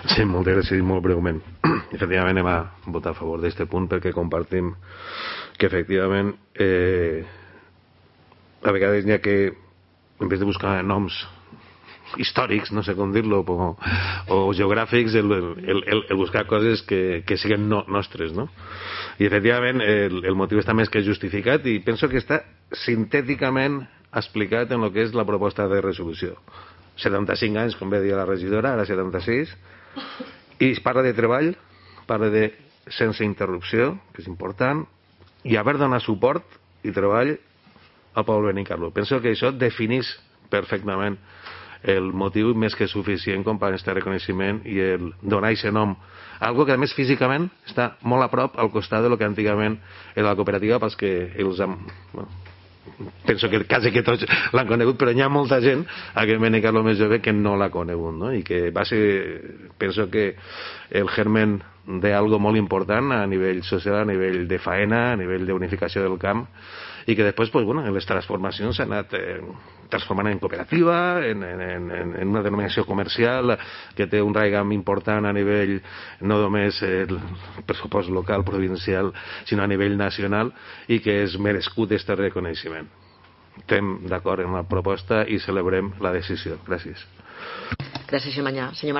Sí, moltes gràcies, molt breument. Efectivament anem a votar a favor d'aquest punt perquè compartim que efectivament a vegades n'hi ha que en vez de buscar noms històrics, no sé com dir-lo, o geogràfics, el buscar coses que siguin nostres, no? I efectivament el motiu està més que justificat i penso que està sintèticament explicat en el que és la proposta de resolució. 75 anys, com bé dir la regidora, ara 76, i es parla de treball, parla de sense interrupció, que és important, i haver donat suport i treball al poble Benicarló. Penso que això defineix perfectament el motiu més que suficient com per aquest reconeixement i el donar aquest nom. Algo que a més físicament està molt a prop al costat del que antigament era la cooperativa pels que els han... penso que quasi que tots l'han conegut, però hi ha molta gent a que Benicarló més jove que no l'ha conegut, no? I que va ser, penso que el germen d'algo molt important a nivell social, a nivell de faena, a nivell d'unificació del camp, i que després, pues, bueno, les transformacions s'han anat transformant en cooperativa, en una denominació comercial que té un raigam important a nivell no només el pressupost local, provincial, sinó a nivell nacional, i que és merescut aquest reconeixement. Estem d'acord amb la proposta i celebrem la decisió. Gràcies. Gràcies, senyor Mañà. Senyor